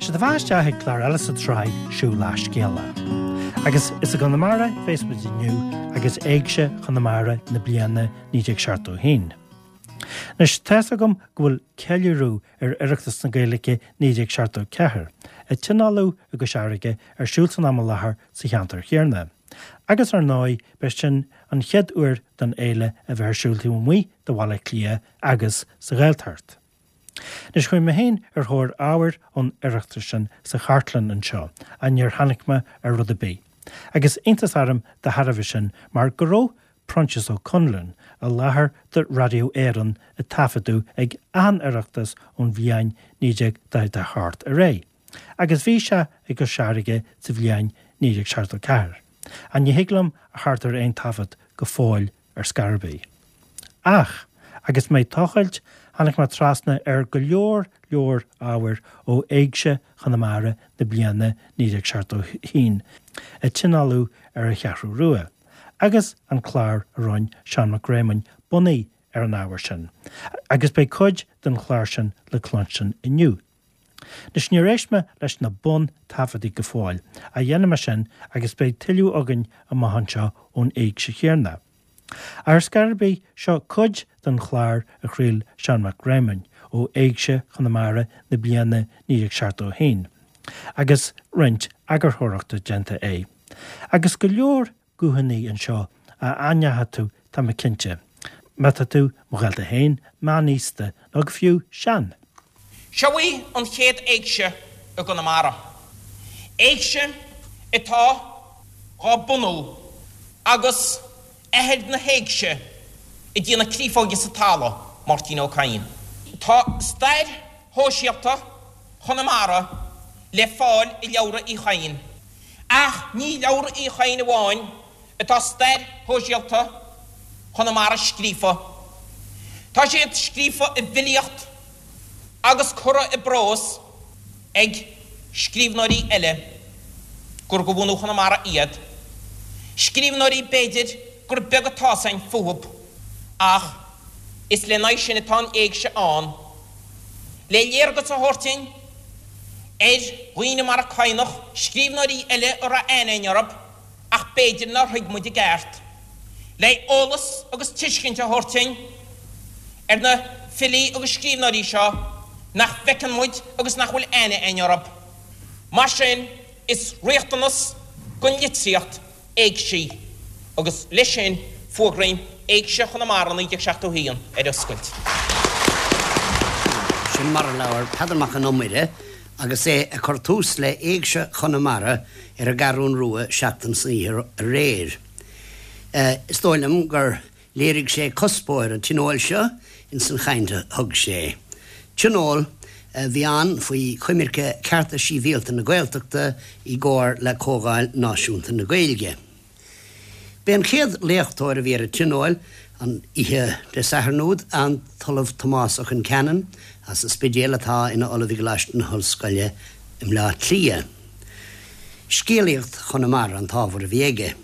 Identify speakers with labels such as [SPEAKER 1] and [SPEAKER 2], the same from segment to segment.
[SPEAKER 1] Sea, tá fáilte isteach ag clár eile sa tsraith Siúil le Scéala. Agus is i gConamara a bheas muid inniu agus Éigse Chonamara na bliana 1971. Anois, tá's agam go bhfuil ceiliúradh ar Oireachtas na Gaeilge 1974, a tionóladh i gCois Fharraige, ar siúl san am i láthair sa cheantar chéanna. Agus ar ndóigh, b'é sin an chéad uair don fhéile a bheith ar siúl taobh amuigh de Bhaile Átha Cliath agus sa Ghaeltacht. Anois chuaigh mé féin ar thóir ábhair ón Oireachtas sin sa chartlann anseo ach níor tháinig mé ar rud ar bith. Agus iontas orm de thairbhe sin mar go raibh Proinsias Ó Conluain i láthair do Raidió Éireann ag taifeadadh ag achan Oireachtas ón bhliain 1948 ar aghaidh. Agus bhí sé i gCois Fharraige sa bhliain 1974. Ach ní thig liom a theacht ar aon taifead go fóill ar scor ar bith. Ach, agus mé ag tochailt, tháinig mé trasna ar go leor leor ábhair ó Éigse Chonamara na bliana 1971, a tionóladh ar an Cheathrú Rua, agus an clár a rinne Seán Mac Réamoinn bunaithe ar an ábhar sin, agus beidh cuid den chlár sin le cluinstin inniu. Anois níor éist mé leis na bun taifeadtaí go fóill, ach dhéanfaidh mé sin agus beidh tuilleadh againn amach anseo ón éigse chéanna. Ach ar scor ar bith, seo cuid den chlár a chraol Seán Mac Réamoinn ó Éigse Chonamara na bliana 1971, agus roinnt eagarthóireachta déanta air. Agus go leor guthanna anseo a aithneoidh tú, tá mé cinnte, má tá tú, mo ghaolta féin, meánaosta, nó go fiú sean.
[SPEAKER 2] Seo í an chéad Éigse i gConamara. Éigse atá dhá bunú agus athair na hÉigse ag déanamh créafóige sa talamh, Máirtín Ó Cadhain. Tá stair shóisialta Chonamara le fáil i leabhra Uí Chadhain. Ach ní i leabhra Uí Chadhain amháin atá stair shóisialta Chonamara scríofa. Tá siad scríofa i bhfilíocht agus curtha i bprós ag scríbhneoirí eile gur de bhunadh Chonamara iad, scríbhneoirí b'fhéidir gur beag atá 's againn fúthub ach is lena aghaidh sin atá an Éigse ann, le léargas a thabhairt duinn ar dhaoine mar an Cadhnach, scríbhneoirí eile a raibh aithne againn orthub. ach b'fhéidir nár thuig muid i gceart, le eolas agus tuiscint a thabhairt duinn ar na filí agus scríbhneoirí seo nach bhfeiceann muid agus nach bhfuil aithne againn orthub. Mar sin, is riachtanas don litríocht éigsí agus leis sin fuagraím Éigse Chonamara 1971 ar oscailt.
[SPEAKER 3] Sin mar a labhair Peadar Mac an Iomaire agus é ag cur tús le Éigse Chonamara ar an gCeathrún Rua seachtain san oíche aréir. Is dóigh liom gur léirigh sé cuspóir an tionóil seo ins an chaint a thug sé. Tionól a bhí ann faoi choimirce Cearta Síbhialta na Gaeltachta i gcomhar le Comhdháil Náisiúnta na Gaeilge. B'é an chéad léachtóir a bhí ar an tionól an oíche Dé Sathairn úd an tOllamh Tomás Ó Concheanainn as an Spidéal atá ina Ollamh i gColáiste na hOllscoile i mBleá Cliath. Scéalaíocht Chonamara an t-ábhar a bhí aige.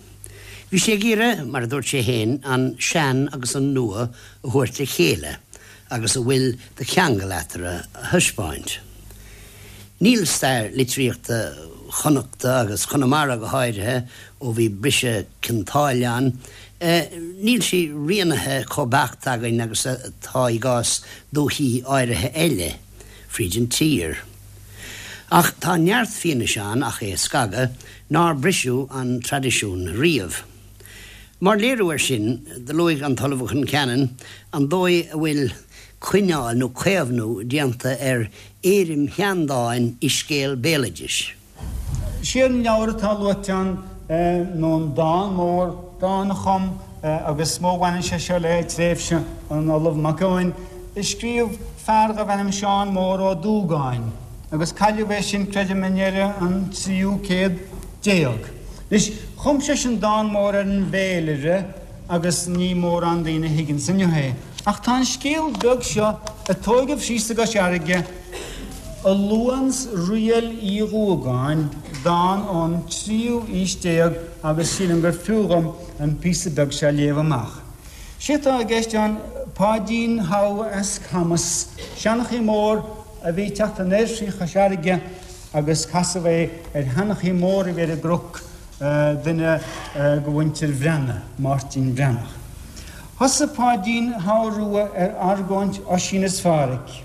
[SPEAKER 3] Bhí sé ag iarraidh, mar a dúirt sé féin, an sean agus an nua a thabhairt le chéile agus a bhfuil de cheangal eatarthu a thaispeáint. Níl stair litríochta Chonnachta, agus Chonamara go háirithe ó bhí briseadh Cionn tSáile ann, níl sí rianaithe chomh beacht againn agus atá i gcás dúichí áirithe eile fríd an tír. Ach tá neart fianaise ann, ach é a scagadh, nár briseadh an traidisiún riamh. Mar léiriú air sin, do luaigh an tOllamh Ó Concheanainn an dóigh a bhfuil coinneáil nó caomhnú déanta ar éirim sheandáin i scéal béaloidis.
[SPEAKER 4] Sé an leabhar atá luaite ann nó an dán mór, dán a chum, agus is mó a bhaineann sé seo le tréimhse an Ollaimh Mac Eoin, a scríobh fear darbh ainm Seán Mór Ó Dúgáin, agus cailleadh é sin, creidim, i ndeireadh an tríú céad déag. Anois, chum seisean dán mór ar an bhféilire agus ní mórán daoine a thuigeanns inniu é. Ach tá an scéal beag seo a tóigeadh síos i gCois Fharraige a luanns Riail Uí Dhúgáin, dán ón tríú aois déag agus sílim gur fiú dhom an píosa beag seo a léamh amach. Sé atá i gceist ann Páidín How as Camas, seanchaí mór a bhí ag teacht anoir thrí Chois Fharraige. Agus casadh é ar sheanchaí mór a bhí ar an gcnoc, duine de mhuintir Bhreathnaigh, Máirtín Breathnach. Thosaigh Páidín Shamha Rua ar argóint Oisín is Phádhraic.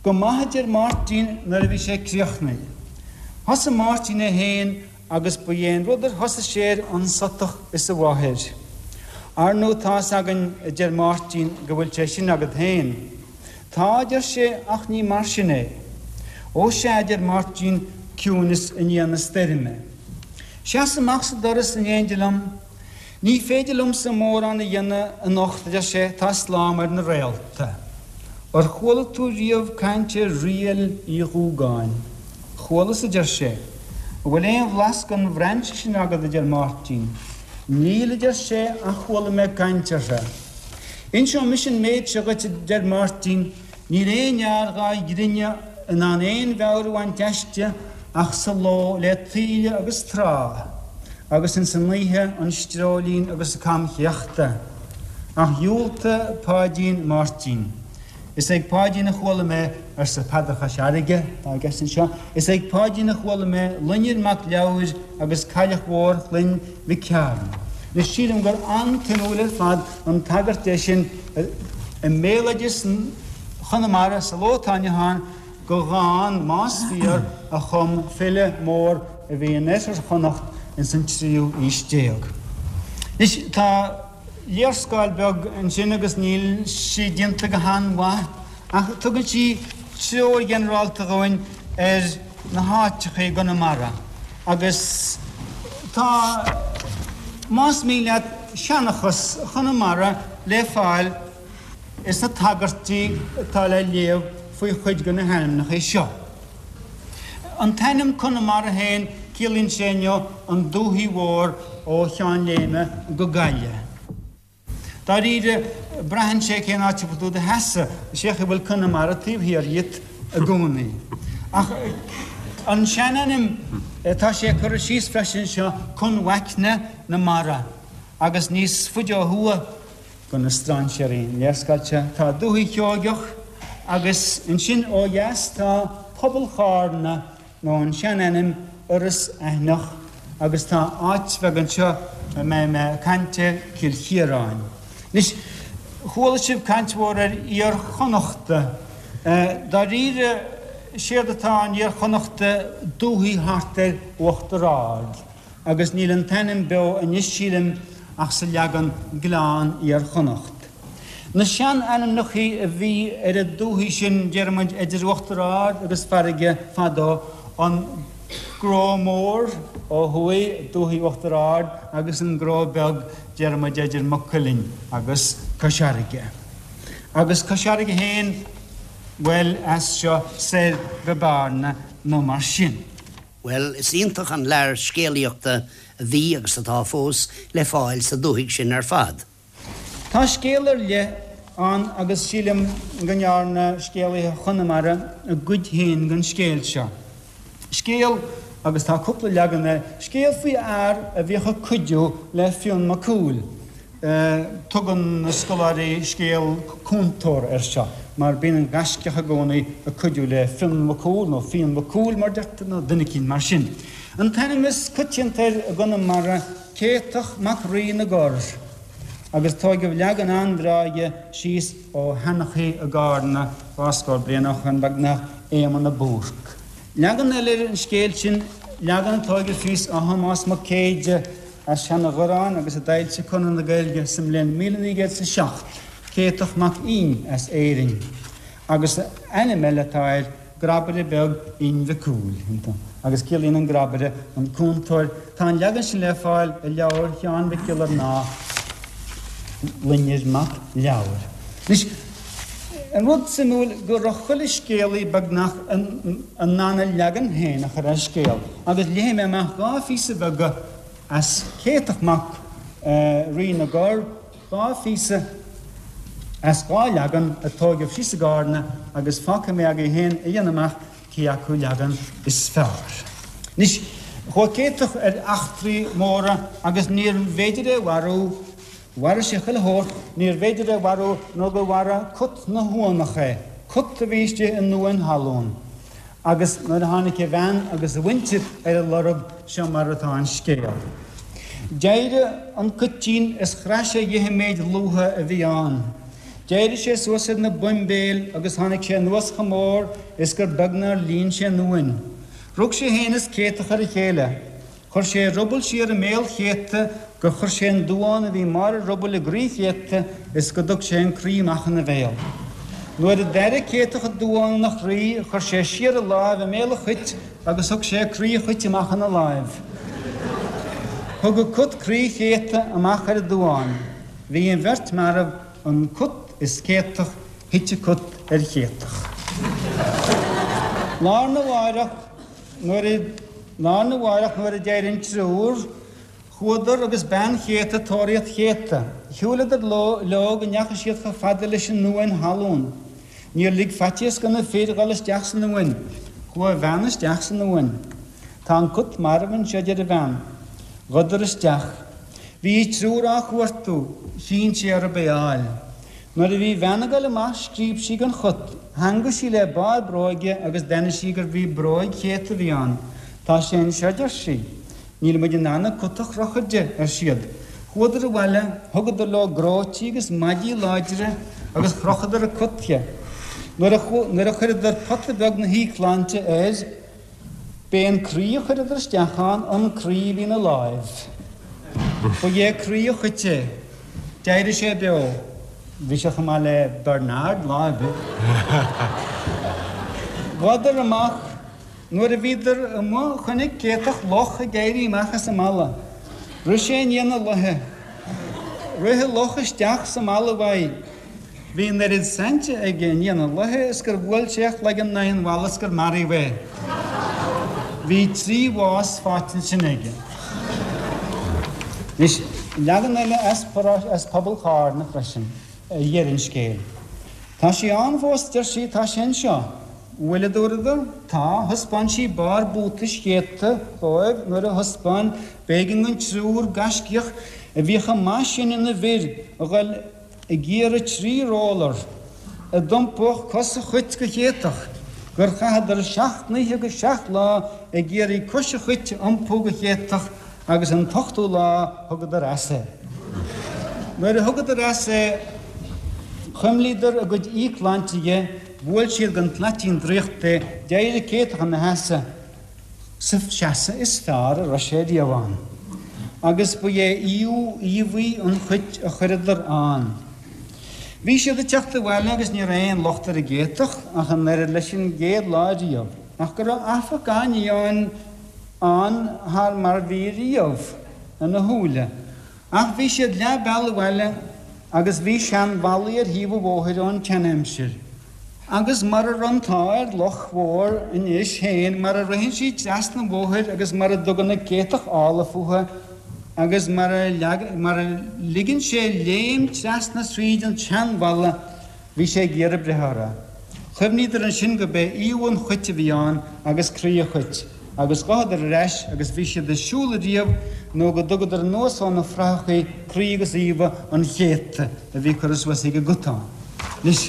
[SPEAKER 4] Go maith a deir Máirtín nuair a bhí sé críochnaithe. Thosaigh Máirtín é féin agus ba é an rud ar thosaigh sé air an sutach is a mháthair. Ar ndú tá's againn a deir Máirtín go bhfuil sé sin agat féin. Tá, a deir sé, ach ní mar sin é. Ó sea, a deir Máirtín, ciúineas i ndiaidh na stoirme. Seas amach sa doras in éindí liom. Ní féidir liomsa mórán a dhéanamh anocht, a deir sé, tá slám ar na réalta. Ar chuala tú riamh caint ar Riail Uí Dhúgáin? Chualas, a deir sé. An bhfuil aon bhlas den bhrainse sin agat, a deir Máirtín. Níl, a deir sé, ach chuala mé caint uirthi. Inseoidh mise an méid seo dhuit, a deir Máirtín, níl aon fhear dhá ghrinneadh in ann aon mheabhair a bhaint aisti ach sa ló le taoille agus trá, agus ins an oíche an streoillín agus an camchéachta. Ach dhiúltaigh Páidín Máirtín. Is ag Páidín a chuala mé, arsa Peadar Chois Fharraige, atá i gceist anseo, is ag Páidín a chuala mé Loinnir Mac Leabhair agus Cailleach Mhór Chloinn Mhic Cearn. Anois sílim gur an-tsuimiúil ar fad an tagairt é sin i mbéaloideas Chonamara sa ló atá inniu ann go dhán, más fíor, a chum file mór a bhí in oirthear Chonnacht ins an tríú aois déag. Anois tá. léarscáil bheag ansin agus níl sí déanta go han-mhaith ach tugann sí treoir ghinearálta dhúinn ar na háiteacha i gConamara agus tá, más mian leat, seanchas Chonamara le fáil sna tagairtí atá le léamh faoi chuid de na hainmneacha seo. An t-ainm Conamara féin, ciallaíonn sé inniu an dúthaigh mhór ó Cheann Léime go Gaillimh. Dáiríre, braitheann sé cén áit a bhfuil tú i do sheasamh, is é a bhfuil Conamara taobh thiar dhíot i gcónaí. Ach an seanainm, tá sé curtha síos freisin anseo, Conmhaicne na Mara, agus níos faide ó thuaidh, Do na strainséirí an léarscáil seo tá Dúiche Sheoigeach agus ansin ó dheas tá Pobal Chárna nó an seanainm Iorras Aithneach agus tá áit bheag anseo a mbeidh mé ag caint air, Cill Chiaráin. Anois, chuala sibh caint mhór ar Iar-Chonnachta. Dáiríre, séard atá in Iar-Chonnachta dúthaigh thart ar Uachtar Ard. agus níl an t-ainm beo anois sílim ach sa leagan Gleann Iar-Chonnacht. Na sean-ainmneachaí a bhí ar an dúthaigh sin déarfaimid idir Uachtar Ard agus farraige fadó, an Gnó Mór ó thuaidh, dúthaigh Uachtar Ard, agus an Gnó Beag déarfaimid idir Maigh Cuilinn agus Cois Fharraige. Agus Cois Fharraige féin, bhuel, as seo soir go Bearna nó mar sin.
[SPEAKER 3] Bhuel, is iontach an lear scéalaíochta a bhí, agus atá fós, le fáil sa dúthaigh sin ar fad.
[SPEAKER 4] Tá scéal ar leith ann agus sílim go ndearna scéalaithe Chonamara a gcuid féin den scéal seo. Scéal, agus tá cúpla leagan air, scéal faoi fhear a bhíodh ag cuidiú le Fionn Mac Cumhaill. Tugann na scoláirí scéal cúntóra air seo, mar bíonn an gaiscíoch i gcónaí ag cuidiú le Fionn Mac Cumhaill, nó Fionn Mac Cumhaill mar deirtear, nó duine eicínt mar sin. An t-ainm is coitianta air i gConamara, Céatach Mac Rí na gCorr, agus tóigeadh leagan an-bhreá dhe síos ó sheanchaí i gCarna dhá scór bliain ó shoin beagnach, Éamonn de Búrc. Leagan eile ar an scéal sin, leagan a tóigeadh síos ó Thomás Mac Céide, As Seanadh-Ghoráin agus a d'fhoilsigh Conradh na Gaeilge sa mbliain 1907, Céatach Mac Fhinn as Éirinn, agus ainm eile atá air, Grabaire Beag Fhinn Mhic Cumhaill, agus ciallaíonn an grabaire an cúntóir. Tá an leagan sin le fáil i leabhar Sheáin Mhic Giollarnáth, Loinnir Mac Leabhair. Anois, an rud suimiúil go raibh chuile scéalaí beagnach in ann a leagan féin a chur ar scéal, agus léifidh mé amach dhá phíosa bheaga As Céatach Mac Rí na gCorr, dhá phíosa as dhá leagan a tóigeadh síos i gCárna agus fágfaidh mé agaibh féin a dhéanamh amach cé acu leagan is fearr. Anois, chuaigh Céatach ar eachtraí móra agus níorbh fhéidir é a mharú, mharaigh sé chuile shórt, níorbh fhéidir é a mharú nó gur mharaigh cut na huanach é, cut a bhí istigh i nduan thalún. Agus nuair a tháinig a bhean agus a mhuintir ar a lorg, seo mar atá an scéal. D'éirigh an cuitín is chraith sé dhe an méid lútha a bhí ann. D'éirigh sé suas ar na boimbéil agus tháinig sé anuas chomh mór is gur beag nár líon sé an uain. Rug sé fhéin is Céatach ar a chéile. Chuir sé a ruball siar i mbéal Chéataigh gur chuir sé an duán a bhí i mbarr a rubaill i gcroí Chéataigh is go dtug sé an croí amach ina bhéal. Nuair a d'airigh Céatach an duán ina chroí chuir sé siar a láimh i mbéal an chait agus thug sé croí an chait amach ina láimh. Thug an cut croí Chéataigh amach ar an duán. Bhí an bheirt marbh, an cut is Céatach, thit an cut ar Chéatach. Lá arna mháireach. Nuair a Lá arna mháireach nuair a d'éirigh an triúr, chuadar agus bean Chéataigh ag tóraíocht Chéataigh. Shiúileadar leo go ndeachaigh siad chomh fada leis an uain thalún. Níor lig faitíos do na fir dhul isteach san uain. Chuaigh a bhean isteach san uain. Tá an cut marbh anseo, a deir a bhean. Ghabhadar isteach. Bhí an triúr á chuartú. Chinn sé orthu é a fháil. Nuair a bhí a bhean ag dul amach scríob sí den chut, theangaigh sí le barr bróige agus d'aithnigh sí gurbh í bróig Chéataigh a bhí ann. Tá sé anseo, a deir sí. Níl muid in ann an cut a chrochadh de, ar siad. Chuadar abhaile, thugadar leo gróití agus maidí láidre agus chrochadar an cut dhe. Nuair a nuair a chuireadar pota beag na híocshláinte air, B'é an croí a chuireadar isteach ann an croí a bhí ina láimh. Ba é croí an chait é. D'éirigh sé beo. Bhí sé chomh maith le Bernard lá ar bith. Ghabhadar amach. Nuair a bhíodar amuigh chonaic Céatach luch ag éirí amach as an mballa. Rith sé i ndiaidh na luiche. Rith an luch isteach sa mballa uaidh. Bhí an oiread sainte aige i ndiaidh na luiche is gur bhuail sé a chloigeann in aghaidh an bhalla is gur maraíodh é. Bhí trí bhás faighte ansin aige. Anois, leagan eile as pobal Chárna freisin a deir an scéal. Tá sé ann fós, deir sí, tá sé anseo. Bhfuil, a dúradar? Tá, thaispeáin sí barr buatais Chéataigh dhóibh nuair a thaispeáin b'éigean don triúr gaiscíoch a bhí chomh maith sin ina bhfir a dhul ag iarraidh 3 roller a d'iompódh cos an chait go Céatach, gur chaitheadar 7 n-oíche agus 7 lá ag iarraidh cois an chait a iompú go Céatach agus an t-ochtú lá thugadar as é. Nuair a thugadar as é chuimlíodar a gcuid íocshláinte dhe, bhuail siad den tslaitín draíochta é, d'éirigh Céatach ina sheasamh. sa seasamh is fearr a raibh sé riamh ann, agus ba é iomdha an chait a chuireadar ann. Bhí siad ag teacht abhaile agus ní raibh aon locht ar an gCéatach ach an oiread leis an gcéad lá riamh, ach go raibh affach gan ní ann thar mar bhí riamh ina shúile. Ach bhí siad leath bealaigh abhaile agus bhí seanbhallaí ar thaobh an bhóthair ón tseanaimsir. Agus mara raibh an t-ádh ar luch mhór anois féin, mar a ritheann sí trasna an bhóthair agus mar a dtugann an Céatach ála fúithi agus mar a mar a ligeann sé léim trasna thríd an tseanbhalla, bhí sé ag iarraidh breith orthu. Chuimhníodar ansin go b'é iomdha an chait a bhí ann agus croí an chait, agus ghabhadar ar ais agus bhí siad ag siúl ariamh nó go dtugadar anuas ó na frathachaí croí agus iomdha an Chéataigh a bhí curtha suas ag an gcut ann. Anois,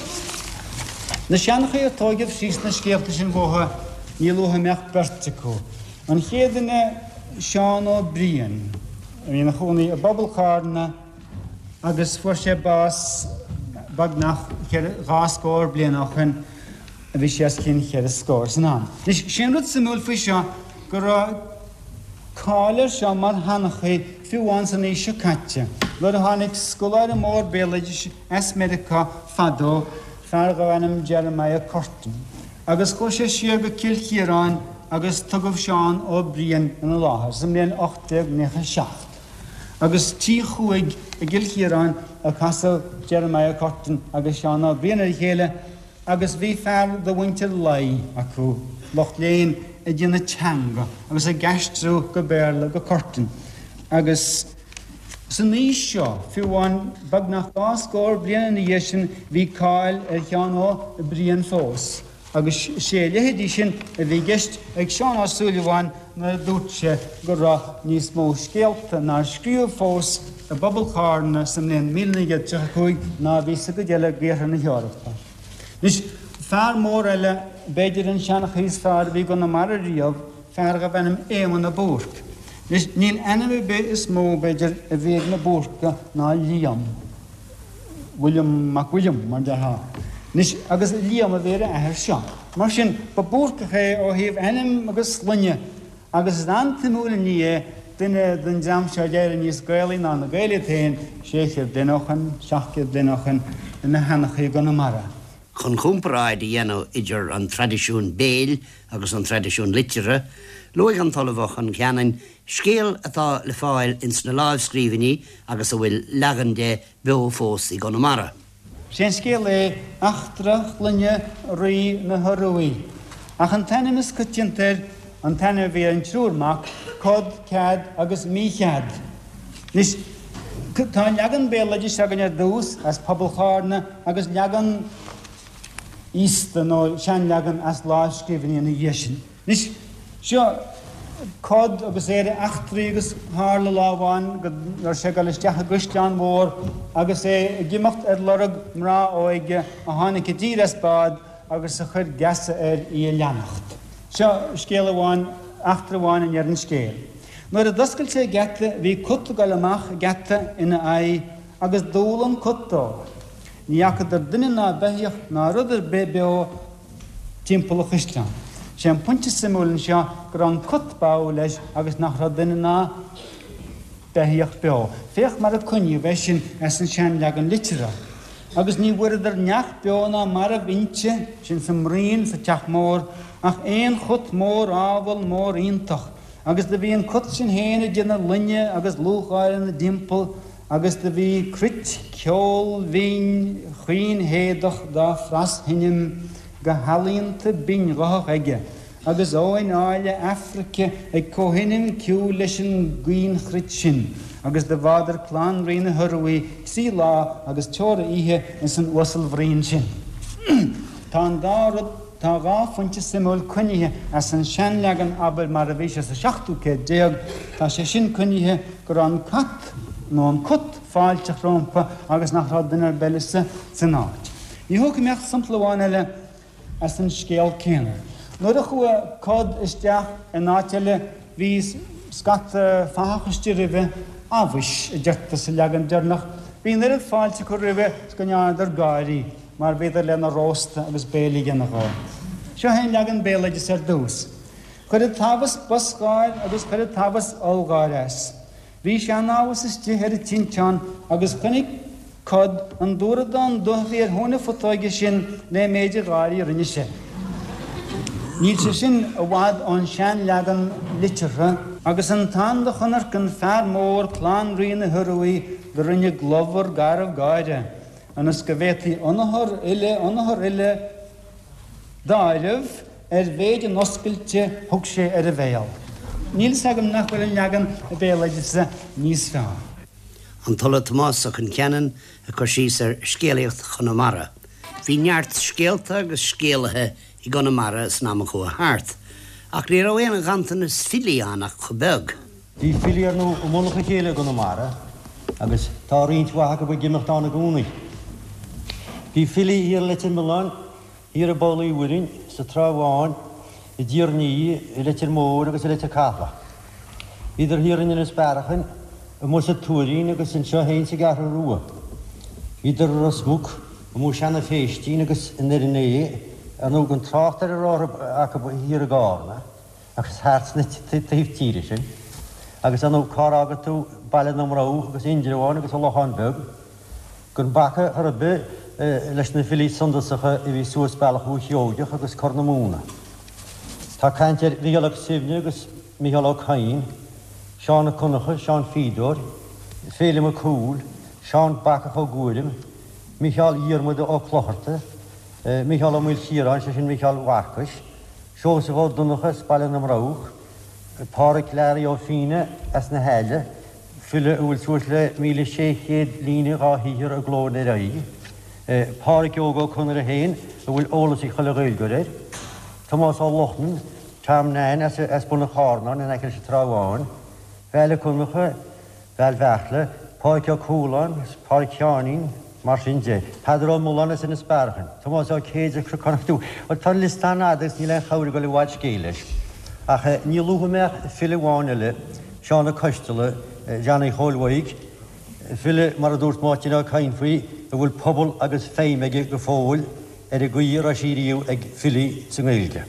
[SPEAKER 4] na seanchaithe a tóigeadh síos na scéalta sin uathu, ní luaithe a mbeadh beirt acu. An chéad duine, Seán Ó Briain, a bhí ina chónaí i bpobal Chárna agus fuair sé bás beagnach dhá scór bliain ó shoin, bhí sé os cionn cheithre scór san am. Anois, sé an rud suimiúil faoi seo go raibh cáil air seo mar sheanchaí fiú amháin san aois seo caite, nuair a tháinig scoláire mór béaloidis, as Meiriceá fadó, fear darbh ainm Jeremiah Curtin, agus chuaigh sé siar go Cill Chiaráin agus tugadh Seán Ó Briain ina láthair sa mbliain 1897. Agus tigh Chuaig i gCill Chiaráin a casadh Jeremiah Curtin agus Seán Ó Briain ar a chéile agus bhí fear de mhuintir Laoi acu, lucht léinn, ag déanamh teanga agus ag aistriú go Béarla go Curtin agus. San aois seo, fiú amháin beagnach dhá scór bliain ina dhiaidh sin, bhí cáil ar Sheán Ó Briain fós, agus sé a leithéidí sin a bhí i gceist ag Seán Ó Súilleabháin nuair a dúirt sé go raibh níos mó scéalta nár scríobhadh fós i bpobal Chárna sa mbliain 1935 ná a bhí sa gcuid eile d'iarthar na hEorpa. Anois. Fear mór eile, b'fhéidir an seanchaí is fearr a bhí i gConamara riamh, fear dharbh ainm Éamonn de Búrc. Anois, níl ainm ar bith is mó, b'fhéidir, a bhí ag na Búrcaigh ná Liam, William Mac William, mar déarfá. Anois, agus Liam a bhí ar a athair seo. Mar sin, ba Búrcach é ó thaobh ainm agus sloinne Agus is an-tsuimiúil an ní é, duine den dream seo a d'éirigh níos Gaelaí ná na Gaeil iad féin, 600 bliain ó shoin, 700 bliain ó shoin, ina sheanchaí i gConamara.
[SPEAKER 3] Chun comparáid a dhéanamh idir an traidisiún béil agus an traidisiún liteartha, luaigh an tOllamh Ó Con Cheanainn scéal atá le fáil ins na lámhscríbhinní agus a bhfuil leagan de beo fós i gConamara.
[SPEAKER 4] Sé an scéal é Eachtra Chloinne Rí na hIoruaidh. Ach an t-ainm is coitianta air, an t-ainm a bhí ar an triúr mac, Cod, Cead agus Míchead. Anois, tá an leagan béaloidis againn ar dtús, as pobal Chárna, agus leagan íosta nó seanleagan as lámhscríbhinní ina dhiaidh sin. Anois, seo Cod agus é ar a eachtraí agus tharla lá amháin go raibh sé ag dul isteach i gcaisleán mhór agus é ag imeacht ar lorg mná óige a tháinig i dtír as bád agus a chuir geasa air í a leanacht. Seo scéal amháin, eachtra amháin a ndeir an scéal. Nuair a d'oscail sé geata bhí cut ag dul amach an geata ina aghaidh agus d'umhal an cut dó. Ní fhacadar duine ná beithíoch ná rud ar bith beo timpeall an chaisleáin. Sé an pointe suimiúil anseo go raibh an cut badh leis agus nach raibh duine ná beithíoch beo. Féach mar a coinníodh é sin as an seanleagan liteartha. Agus ní bhfuaireadar neach beo ná marbh inti, sin sa mbruíon sa teach mór, ach aon chut mór ábhal mór iontach. Agus do bhí an cut sin féin ag déanamh loinne agus lúcháire 'na dtimpeall, agus do bhí cruit ceoil bhinn chaoinhéadach dá phras-sheinm go healaíonta binnghuthach aige, agus óin áille Aifrice ag comhsheinm ceoil leis an gcaoinchruit sin, agus do bhádar clann Rí na hIoruaidh tri lá agus teora oíche ins an uasal-bhruíon sin. Tá an dá rud. Tá dha phointe suimiúil coinnithe as an seanleagan, abair, mar a bhí sé sa seachtú céad déag, tá sé sin coinnithe go raibh an cat, nó an cut, fáilteach rómpa agus nach raibh duine ar bith eile san áit. Ní thógfaidh mé ach sampla amháin eile as an scéal céanna. Nuair a chuaigh Cod isteach in áit eile bhí scata fathach istigh roimhe, abhus, a deirtear sa leagan deireanach, bhí an oiread fáilte acu roimhe 's go ndearnadar gáirí. mar bhíodar lena róstadh agus béile a dhéanamh dhó. Seo é an leagan béaloidis ar dtús. Cuireadh tamhas bosgháir agus cuireadh tamhas ollgháir as. Bhí seanamhas istigh ar an tinteán agus chonaic Cod an dúradán dubh a bhí ar thóin na putóige sin lé méid an gháirí a rinne sé. Níl sé sin i bhfad ón seanleagan liteartha. Agus an tan do chonnairc an fear mór clann Rí na hIoruaidh do rinne globhar garbh gáire. ionas go bhféadfaí ionathar uile ionathar uile d'áireamh ar mhéid an oscailte thug sé ar a bhéal. Níl fhios agam nach bhfuil an leagan béaloideasa níos fearr.
[SPEAKER 3] An tOllamh Tomás Ó Con Cheanainn ag cur síos ar scéalaíocht Chonamara. Bhí neart scéalta agus scéalaithe i gConamara san am a chuaigh thart, ach ní raibh aon ghanntanas filí ann ach chomh beag.
[SPEAKER 5] Bhí filí ar ndóigh i mullach a chéile i gConamara agus tá roinnt mhaith acu ag imeacht ann i gcónaí. Bhí filí thiar i Leitir Mealláin, thiar i bPoll Uí Mhuirinn, sa Trá Bháin, i dTír an Fhia, i Leitir Móir agus i Leitir Cathlach. Bhíodar thiar in Inis Bearachain, amuigh sa Tuairín agus anseo féin sa gCeathrú Rua. Bhíodar i Ros Muc, amuigh i Seanadh Phéistín agus i nDoire an Ae, ar ndóigh gan trácht ar a raibh acu thiar i gCárna. agus thart sna taobh tíre sin, agus ar ndóigh cár fhága tú Baile na mBroghach agus Indreabhán agus an Lochán Beag, gan bacadh chor ar bith leis na filí suntasacha a bhí suas bealach Dhúiche Sheoigeach agus Corr na Móna. Tá caint ar Mhícheál Ó Suibhne agus Mícheál Ó Cadhain, Seán Ó Conchadha, Seán Fíodóir, Féilim Mac Cumhaill, Seán Bacach Ó Guairim, Mícheál Dhiarmuda Ó Clochartaigh, Mícheál Ó Maoilchiaráin, sé sin Mícheál Mharcais, Seosamh Ó Donnchadha as Baile na mBroghach, Pádhraic Learaí Ó Fianna as na hAille, file a bhfuil suas le 1,600 líne dhá shaothar i gcló in Ar Aghaidh, Pádhraic Óg Ó Conaire féin a bhfuil eolas ag chuile Ghaeilgeoir air, Tomás Ó Lochlainn, Tom Nan as Bun an Charnáin in aice leis an Trá Bháin, Val Ó Conchadha, Val Bheartla, Pádraic Ó Cualáin, Pádraic Sheáinín. Mar sin de, Peadar Ó Mulláin as Inis Bearachain, Tomás Ó Céide as Cnocán Dubh, bhuel tá an liosta an-fhada agus níl aon chabhair ag dul i bhfad scéil leis. Ach ní luafaidh mé ach file amháin eile, Seán Ó Coisteala, Johnny Chóil Mhaidhc, file, mar a dúirt Máirtín Ó Cadhain faoi, a bhfuil pobal agus feidhm aige go fóill ar an gcaoi a raibh sí riamh ag filí sa nGaeilge.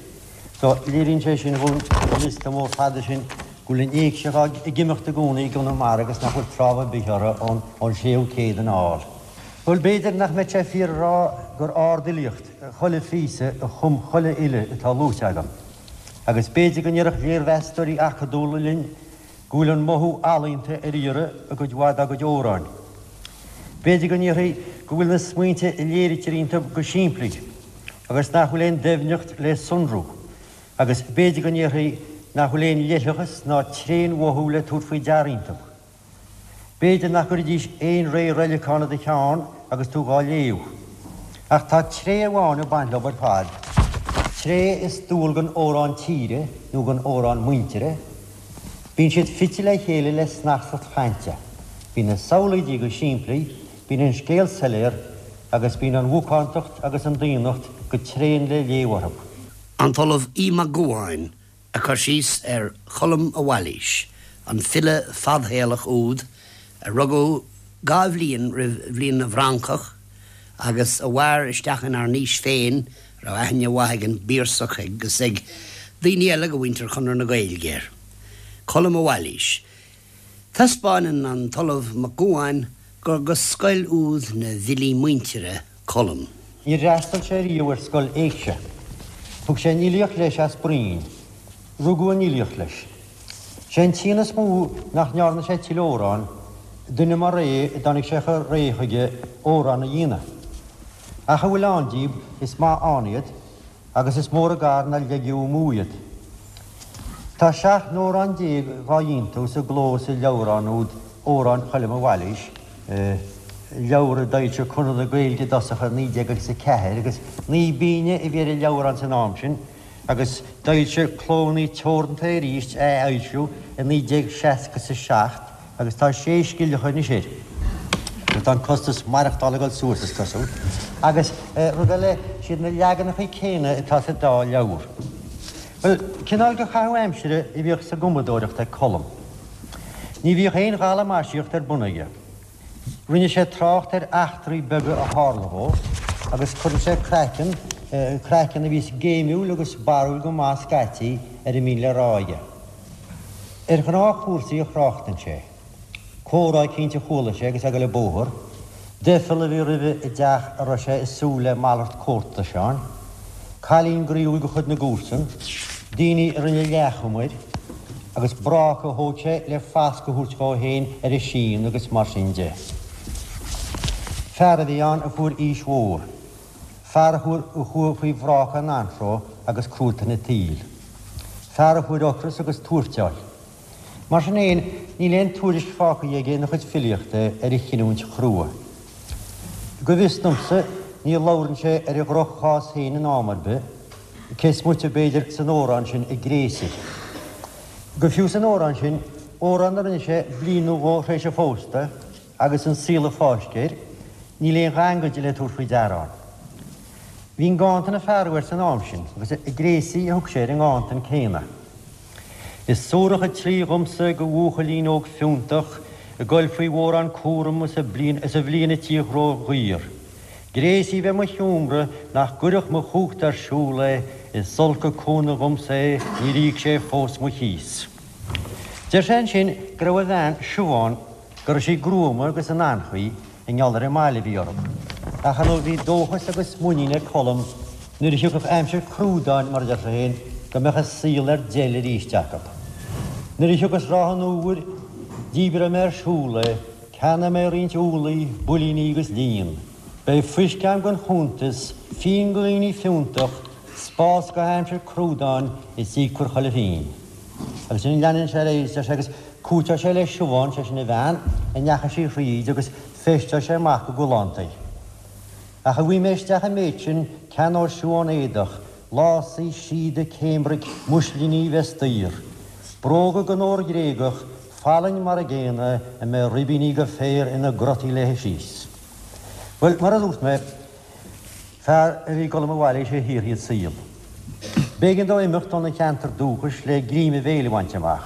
[SPEAKER 5] So, léiríonn sé sin dhúinn, an liosta mór fada sin, go bhfuil an éigse ag imeacht i gcónaí i gConamara agus nach bhfuil tráth ar bith orthu ón séú céad anall. Bhuel, b'fhéidir nach mbeadh sé fíor a rá gur ardfhilíocht chuile phíosa a chum chuile fhile atá luaite agam. Agus b'fhéidir go ndéarfadh léirmheastóirí acadúla linn go bhfuil an mothú ealaíonta ar iarraidh i gcuid mhaith dá gcuid amhráin. B'fhéidir go ndéarfaí go bhfuil na smaointe a léirítear iontu go simplí agus nach bhfuil aon doimhneacht le sonrú. Agus b'fhéidir go ndéarfaí nach bhfuil aon leithleachas ná tréanmhothú le tabhairt faoi deara iontu. B'fhéidir nach gcuirfidís aon ré roileacáin i do cheann agus tú dhá léamh. Ach tá tréith amháin ag baint leo ar fad, tréith is dual don amhrán tíre nó don amhrán muintire, bíonn siad fite le chéile le snastacht chainte. Bíonn na samhlaoidí go simplí, bíonn an scéal soiléir agus bíonn an mhacántacht agus an daonnacht go tréan le léamh orthu.
[SPEAKER 3] An tOllamh Aodh Mac Gabhann ag cur síos ar Cholm a' Bhailís, an file fadshaolach úd a rugadh dha bhliain roimh bhliain na bhFrancach agus a mhair isteach inár n-aois féin, a raibh aithne mhaith ag an bPiarsach agus ag daoine eile de mhuintir Chonradh na Gaeilge air. Colm a' Bhailís. Taispeáineann an tOllamh Mac Gabhann gur de scoil úd na bhfilí muintire Colm.
[SPEAKER 5] Níor fhreastail sé riamh ar scoil éigse. Thug sé an fhilíocht leis as broinn. Rugadh an fhilíocht leis. Sé an t-ionadh is mó nach ndearna sé tuilleadh amhrán, duine mar é a dtáinig sé chomh réidh chuige amhrán a dhéanamh. Ach a bhfuil ann díobh, is maith ann iad, agus is mór an gar nár leigeadh amú iad. Tá 17 n-amhrán dhá dhéantús i gcló sa leabhrán úd Amhráin Choilm a' Bhailís, leabhar a d'fhoilsigh Conradh na Gaeilge i dtosach i 19 agus 4, agus 9 bpingine a bhí ar an leabhrán san am sin, agus d'fhoilsigh Clódhna Teoranta é arís a athfhoilsiú i 1967. Agus tá sé scilleacha anois air. Agus tá an costas maireachtála ag dul suas, is cosúil. Agus rud eile, siad na leaganacha céanna atá sa dá leabhar. Bhuel, cineál de chaitheamh aimsire a bhíodh sa gcumadóireacht ag Colm. Ní bhíodh aon ghalamaisíocht ar bun aige. Rinne sé trácht ar eachtraí beaga a tharla dhó, agus cuireann sé craiceann, craiceann a bhíos géimiúil agus barrúil go maith scaití, ar a mbíonn le rá aige. Ar ghnáthchúrsaí a thráchtann sé. Comhrá eicínt a chuala sé agus é ag dul an bóthar, doicheall a bhí roimhe i dteach a raibh sé ag súil le malairt comhartais ann, cailín groíúil de chuid na gcomharsan, daoine a rinne leathchuma air, agus bráca a thóg sé le fascadh a thabhairt dhó féin ar a shíon agus mar sin de. Fear a bhí ann a fuair aois mhór. Fear a chuaigh faoi bhráca an anró agus cruatan an tsaoil. Fear a fuair ocras agus tuairteáil. Mar sin fhéin, níl aon tuairisc fágtha aige ina chuid filíochta ar a chinniúint chrua. Go bhfios domsa, ní labhrann sé ar a dhroch-chás féin in am ar bith, cé is moite, b'fhéidir, san amhrán sin 'An Gréasaí'. Go fiú san amhrán sin, amhrán a rinne sé bliain nó dhó tar éis a phósta, Agus an saol ag fáisceadh air, níl aon ghangaid le tabhairt faoi deara ann. Bhí an ganntan ag fearadh air san am sin, agus an Gréasaí a thug sé ar an nganntan céanna. Is suarach an tslí dhomsa do bhuachaillín óg fiúntach ag goil faoi mhórán cúram is a bhliain a tíocht ró-dhaor. Gréasaí bheith mo sheomra nach gcuirfeadh mo chumhacht ar siúl é, is olc an cúnamh dhomsa é, níor íoc sé fós mo chíos. Deir sé ansin go raibh a bhean, Siobhán, go raibh sí gruama agus in anchaoi i ngeall ar an mbaile a bhí orthu. Ach ar ndóigh bhí dóchas agus muinín ag Colm nuair a thiocfadh aimsir chrúdáin, mar a deir sé féin, go mbeadh an saol ar deil arís acu. Nuair a thiocfas ráth an fhómhair, díbreoidh mé ar siúl é, ceannóidh mé roinnt úllaí, builíní agus líon. Beidh fuisce a'm gan chuntas, fíon do dhaoine fiúntach, spás go haimsir crúdáin is íocfar chuile phingin. Agus ansin leanann sé ar aghaidh is deir sé agus cúiteoidh sé le Siobhán, sé sin a bhean, a ndeachaigh sí thríd agus feisteoidh sé amach go galánta í. Ach a bhfaighidh mé isteach an méid sin, ceannóidh Siobhán éadach, lásaí, síoda, cambric, muislíní bheas daor. Bróga den ór Ghréagach, fallaing mar a gcéanna, a mbeidh ribíní de phéir ina gcrotaí léi síos. Bhuel, mar a dúirt mé, fear a bhí ag Colm a bhailigh sé thiar iad saol. B'éigean dó imeacht óna cheantar dúchais le greim a bhéil a bhaint amach.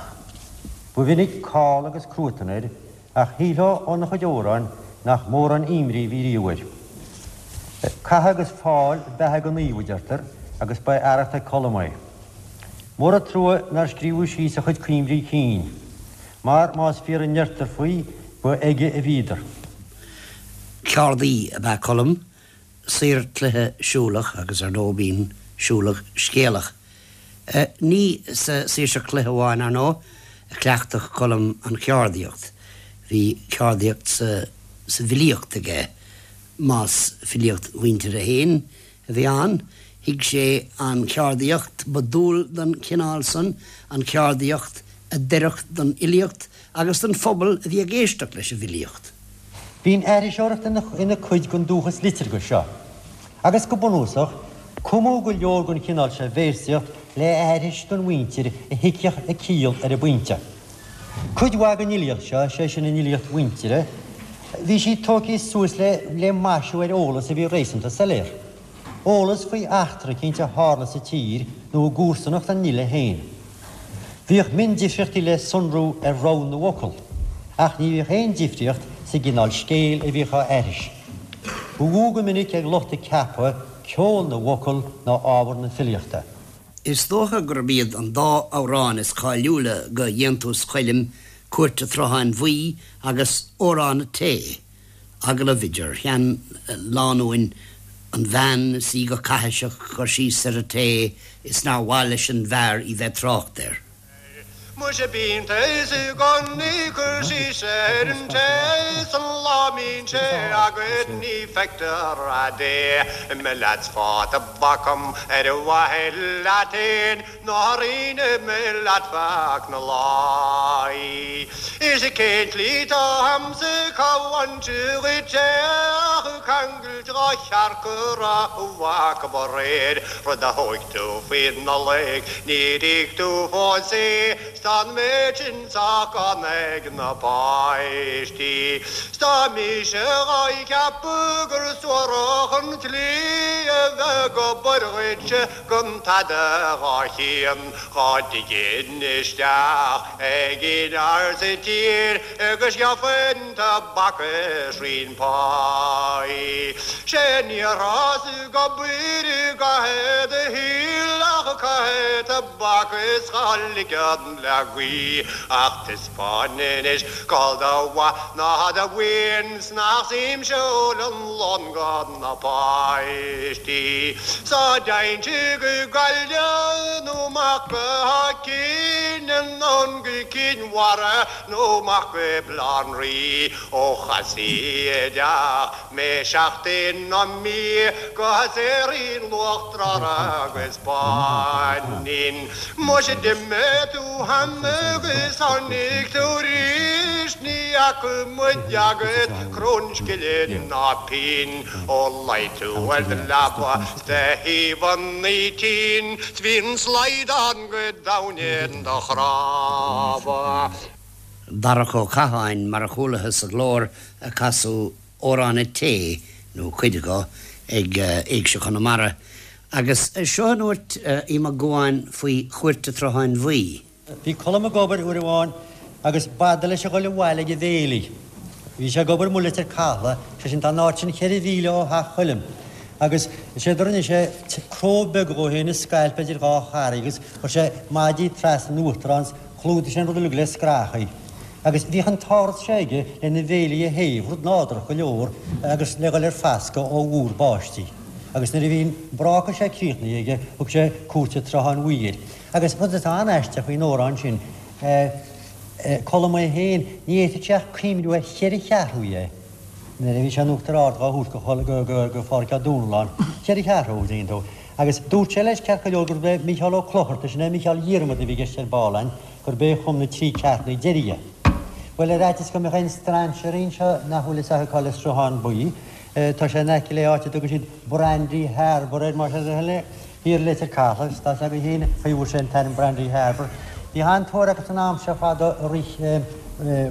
[SPEAKER 5] Ba mhinic call agus cruatan air ach shílfeá óna chuid amhrán nach mórán imní a bhí riamh air. Cath agus fáil beatha go naomh, a deirtear, agus ba é arracht ag Colm é. Mór an trua nár scríobhadh síos a chuid cuimrí cinn, mar, más fíor a ndeirtear faoi, ba aige a bhíodar.
[SPEAKER 3] Ceardaí ab ea Colm, saor cloiche siúlach agus ar ndóigh b'in siúlach scéalach. Ní sa saoirseacht cloiche amháin, ar ndóigh, a chleachtadh Colm an cheardaíocht. Bhí ceardaíocht sa bhfilíocht aige, más filíocht mhuintire féin a bhí ann. Thuig sé an cheardaíocht ba dual don chineál san, an cheardaíocht a d'oirfeadh don fhilíocht agus don phobal a bhí ag éisteacht leis an bhfilíocht.
[SPEAKER 5] Bhí an aithriseoireacht ina cuid den dúchas liteartha seo, agus go bunúsach, cumadh go leor den chineál seo véarsaíocht le aithris don mhuintir a thuigfeadh a ciall ar an bpointe. Cuid mhaith den fhilíocht seo, sé sin an fhilíocht mhuintire, bhí sí tógtha suas le maisiú ar eolas a bhí réasúnta soiléir. Eolas faoi eachtra eicínt a tharla sa tír nó i gcomharsanacht an fhile féin. Bhíodh miondifríochtaí le sonrú ar rogha na bhfocal, ach ní bhíodh aon difríocht sa gcineál scéil a bhíodh á aithris. Ba mhó go minic ag lucht a ceaptha ceol na bhfocal ná ábhar na filíochta.
[SPEAKER 3] Is dócha gurb iad an dá amhrán is cáiliúla de dhéantús Choilm, Cúirt a' tSrutháin Bhuí agus Órán an Tae. Agallamh idir sheanlánúin, an bhean is í go caithiseach ag cur síos ar an tae is nár mhaith leis an bhfear í bheith trácht air.
[SPEAKER 6] Muise bíonn taos i gconaí cur síos ar an tae 's an lá mbíonn sé agat ní feictear a'd é. Imigh leat 's fág tobac a'm ar mhaithe leat fhéin. Ná rinne mé leat feadh na láí. Is cén tslí 'tá a'msa cá bhaint dhuit é ach ceangailt dhá chearc a raibh acub aréir rud a thóig tú faoi Nollaig níor íoc tú fós é 's tá an méid sin sách gann ag na páistí 's tá mise dhá cheapadh gur suarach an tslí a bheith ag obair dhuitse Gan tada dhá chian dhá dtiginn isteach ag aon fhear sa tír agus gheofainn tobac is roinnt páí. Sé ní rabhas ag obair i gcaitheamh do shaoil ach caithfidh tobac is dhá ligean le gaoith ach taispeáin anois cá bhfuil do mhaith ná do mhaoin 's nach suaimhsiúil an lón gan na páistí. 'S dá dtéinnse go Gaillimh nó amach go hÁth Cinn anonn go Cinn Mhara nó amach go Baile Átha an Rí ó chasaí i dteach mé seachtain nó mí go saothraínn luach drár agus báinín. Muise d'imigh tú cheana agus tháinig tú arís ní fhaca muid agat crann scille ná pínn ó luigh tú ar do leaba 's do thaobhannaí tinn 's bhí an slaghdán go domhain in do chnámha.
[SPEAKER 3] Darach Ó Catháin, mar a chualathas a ghlór ag casadh Órán an Tae, nó cuid dho, ag Éigse Chonamara. Agus seo a ndúirt Aodh Mac Gabhann faoi Chúirt an tSrutháin Bhuí.
[SPEAKER 5] Bhí Colm ag obair uair amháin agus b'fhada leis a dhul abhaile ag a bhéilí. Bhí sé ag obair amuigh i Leitir Cathala, sé sin tá an áit sin cheithre mhíle ó theach Choilm, agus is é do rinne sé cró beag dhó féin i scailp idir dhá charraig agus chuir sé maidí trasna in uachtar ann 's chlúdaigh sé an rud uilig le scrachaí. Agus bhíodh an t-áras seo aige lena bhéilí a théamh, rud nádúrtha go leor, agus le dhul ar fascadh ó mhúr báistí. Agus nuair a bhí an bráca seo críochnaithe aige, thug sé Cúirt an tSrutháin Bhuí air. Agus rud atá an-aisteach faoin amhrán sin, Colm é féin, ní fhéadfadh sé ach cuimhniú ar cheithre cheathrú dhe nuair a bhí sé in Uachtar Ard dhá thabhairt go Phádraic Ó Dúnalláin. Cheithre cheathrú, an dtuigeann tú. Agus dúirt sé leis, ceart go leor, gurb é Mícheál Ó Clochartaigh, sin é Mícheál Dhiarmada a bhí i gceist ar ball ann, gurb é a chum na trí ceartúna deiridh. Bhuel, ar fhaitíos go mbeadh aon strainséirí anseo nach bhfuil fhios acu cá bhfuil an Sruthán Buí, tá sé in aice le áit a dtugann siad Brandy Harbour air, más é do thoil é, thiar i Leitir Cathala, agus tá 'fhios agaibh féin faoi bhfuair sé an t-ainm Brandy Harbour. Bhí an-tóir acu san am seo fadó ag rith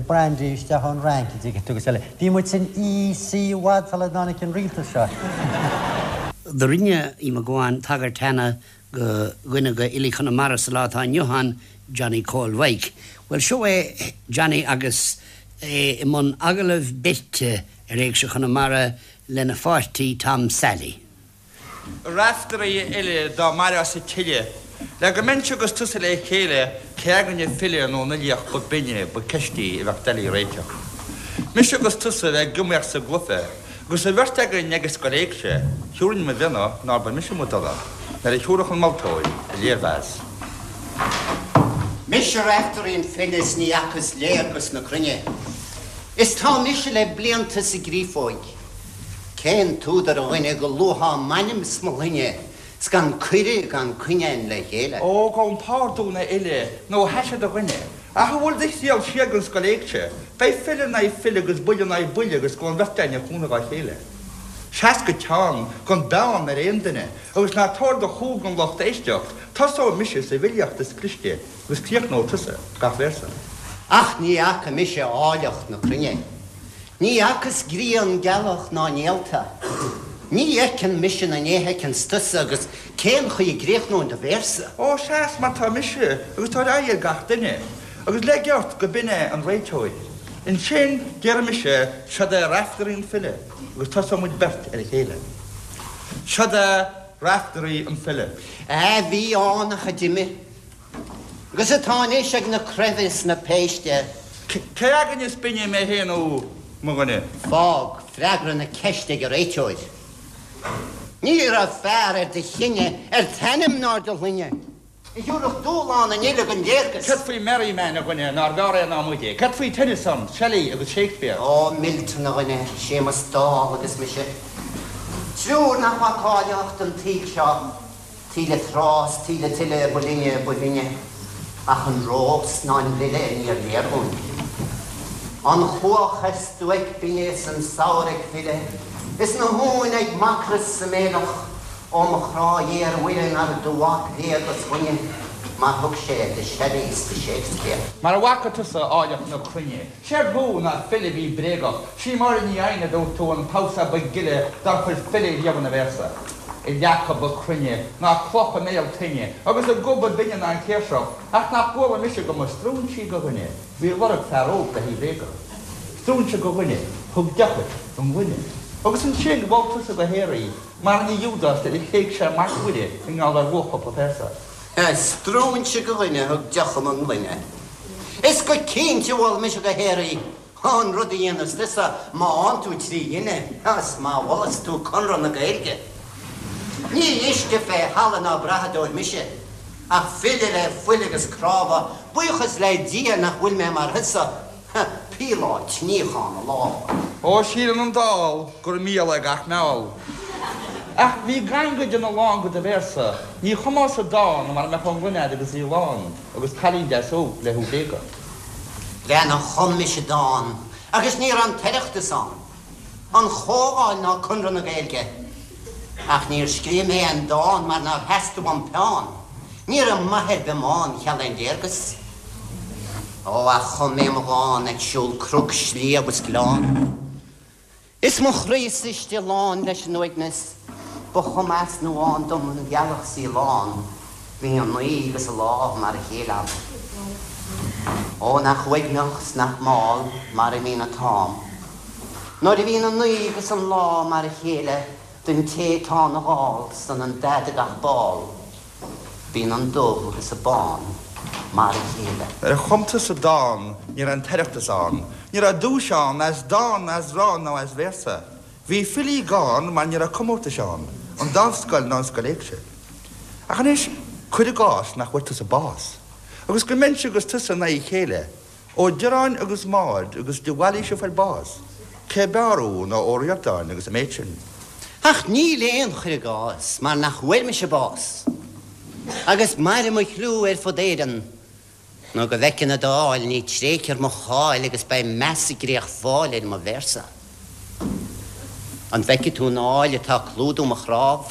[SPEAKER 5] brandy isteach ón Fhrainc, an dtuigeann tú, agus eile. Bhí muid san EC i bhfad sula dtáinig an rialtas seo.
[SPEAKER 3] Do rinne Aodh Mac Gabhann tagairt cheana go dhuine de fhilí Chonamara sa lá atá inniu ann, Johnny Chóil Mhaidhc. Bhuel, seo é Johnny agus é i mbun agallamh beirte ar Éigse Chonamara lena pháirtí Tom Sally.
[SPEAKER 7] A Raiftearaí a fhile dá mairfeá sa tSile, le go mbeinnse agus tusa le chéile, cé againn an file nó an uilíoch ba binne, ba ceist í a bheadh doiligh a réiteach. Mise agus tusa a bheith ag iomaíocht sa gcluiche, agus an bheirt againn ag an scoil éigse, thiúrfainn mo mhionna nár ba mise mo dhola, nuair a thiúrfadh an moltóir a léirmheas.
[SPEAKER 3] Mise Raiftearaí an file is ní fhacas léargas na cruinne. Is tá mise le blianta sa gcreafóig. Cén t-údar a dhuine go luafá m'ainm 's mo shloinne 's gan cuireadh gan coinne a'inn le chéile?
[SPEAKER 7] Ó, gabhaim pardún a fhile, nó a thaise do dhuine, ach an bhfuil do thriall siar gon scoil éigse? Beidh file in aghaidh file agus buille in aghaidh buille agus gabh an bheirt againn ag cúnamh dá chéile. Seas go teann, gan beann ar aon duine, agus ná tabhair do chúl don lucht éisteacht, tosóidh mise sa bhfilíocht is cliste agus críochnóidh tusa gach véarsa.
[SPEAKER 3] Ach ní fhaca mise áilleacht na cruinne. Ní fhacas grian, gealach ná néalta. Ní fheiceann mise na néithe a fheiceanns tusa agus cén chaoi a gcríochnóinn do véarsa?
[SPEAKER 7] Ó, seas mar tá mise agus tabhair aghaidh ar gach duine, agus leig ort go b'in é an réiteoir. Ansin déarfaidh mise, Seod é Raiftearaí an file, agus tosóidh muid beirt ar a chéile. Seod é Raiftearaí an file.
[SPEAKER 3] A bhí ann ach a d'imigh. Agus atá anois ag na craimhe is na péiste.
[SPEAKER 7] Cé againn is binne, mé féin nó mo dhuine?
[SPEAKER 3] Fág freagra na ceiste ag an réiteoir. Ní raibh fear ar do chine, ar t'ainm ná ar do shloinne, a thiúrfadh dúshlán an fhile don léargas.
[SPEAKER 7] Céard faoi Merriman, a dhuine, nár bhfearr é ná muide? Céard faoi Tennyson, Shelley agus Shakespeare?
[SPEAKER 3] Ó, Milton, a dhuine, Séamus Dall agus mise. Triúr nach bhfaca áilleacht an tsaoil seo. Taoille trá 's taoille tuile ba linne ba bhinne, ach an rós ná an lile níor léir dhúinn. An chuach ar stuaic binne is an samhradh ag filleadh, is na huain ag macras sa méileach, ó mo chrá ghéar a Mhuire nar do mhac léargas dhuine mar thug sé do Shelley is do Shakespeare.
[SPEAKER 7] Mar a bhfaca tusa áilleacht na cruinne. Séard thú ná file a bhí bréagach, Sí Máire Ní Eidhin a dúirt tú an damhsa ba ghile dár chuir file riamh ina véarsa. A leaca ba cruinne ná cloch i mbéal toinne agus a guth ba binne ná an chéirseach, ach nach gcuala mise go mba stróinse go dhuine bhí ag lorg fear óg le hí bhréagadh. Stróinse go dhuine thug deoch i ngloine. Agus ansin mhol tusa go haer í, mar a rinne Iúdás nuair a thréig sé Mac Mhuire i ngeall ar luach cúpla péarsa.
[SPEAKER 3] Stróinse go dhuine a thug deoch i mo ghloine. Is go cinnte mhol mise go haer í, an rud a dhéanas tusa má fhánn tú 3 ghine is má mholas tú Conradh na Gaeilge. Ní uisce fé thalamh ná brathadóir mise, ach file le fuil agus cnámha, buíochas le Dia nach bhfuil mé mar thusa, Píoláit, níochán a lámha.
[SPEAKER 7] Ó, síleann an dall gur mial é gach meall. Ach bhí gangaid ina lán go do véarsa, ní chumfása dán mara mbeadh an ghloine a'd agus í lán, agus cailín deas óg le thú bréagadh.
[SPEAKER 3] Leana chum mise dán agus ní raibh an tOireachtas ann, an Chomhdháil ná Conradh na Gaeilge. Ach níor scríobh mé aon dán mar nár theastaigh uaim peann. Ní raibh maith ar bith m'fhonn cheal aon léargas. Ó, ach chum mé mo dhán ag siúl cnoc, sliabh is gleann. Is mo chroí-sa istigh lán leis an uaigneas, ba chuma as nó ann dom an ghealach 's í lán, bhí an oíche agus an lá mar a chéile ann. Ó, nach uaigneach 's nach mall mar a bhíonn an t-am, nuair a bhíonn an oíche agus an lá mar a chéile don té atá ina dhall 's ionann dath do gach ball. Bíonn an dubh agus an bán mar a chéile.
[SPEAKER 7] Nuair a chum tusa dán ní raibh an tOireachtas ann, ní raibh duais ann as dán, as rann nó as véarsa. Bhí filí gann mar ní raibh comórtais ann, an Dámhscoil ná an Scoil Éigse. Ach anois, cuir i gcás nach bhfuair tusa bás, agus go mbeinnse agus tusa in aghaidh a chéile, Ó Direáin agus Maud agus de Bhailís a fuair bás, cé b'fhearr thú ná Ó Ríordáin agus an méid sin.
[SPEAKER 3] Ach níl aon chur i gcás mar nach bhfuair mise bás, agus mairfidh mo chliú ar fud Éireann, nó go bhfeicfinn an Dáil, ní tréigfear mo cháil agus beidh meas i gcríoch Fáil ar mo véarsa. An bhfeicfidh tú an áil atá ag clúdú mo chnámh?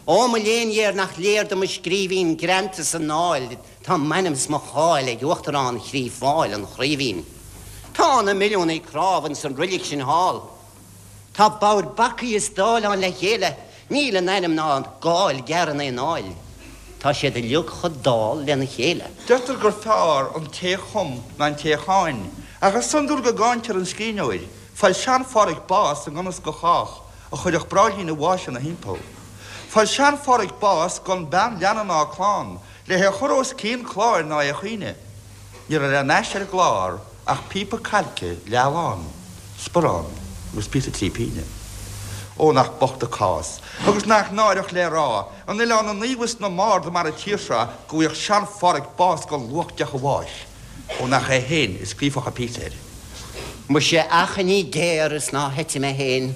[SPEAKER 3] Ó mo léan ghéar nach léir do mo scríbhinn greanta san áil!
[SPEAKER 8] Tá m'ainm 's mo cháil ag Uachtarán Chraobh Fáil an Chraoibhín. Tá na milliúnaí cnámh ins an roilig sin thall. Tá bodhair bacaí is dáileáin le chéile, níl in ainm ná gáil gearr in aon áil. Tá siad uilig chomh dall lena chéile.
[SPEAKER 7] Deirtear gur fearr an té chum ná an té cháin, ach is iondúil go gcáintear an scríbhneoir. Fuair sean-Phádhraic bás i ngan fhios go chách, a chuirfeadh bráillín a bháis ina thimpeall. Fuair sean-Phádhraic bás gan bean leanna ná clann, le hé a chur os cionn cláir ná é a chaoineadh. Ní raibh le n-ais ar an gclár ach píopa cailce leath-lán, sparán agus píosa 3 pínne. Ó nach bocht a cás, agus nach náireach le rá, in Oileán na Naomh is na mBard mar an tír seo go bhfaigheadh sean-Phádhraic bás gan luach deoch a bháis, ó nach é féin a scríobhfadh an píosa air.
[SPEAKER 8] Muise achainí géar is ná heite mé féin.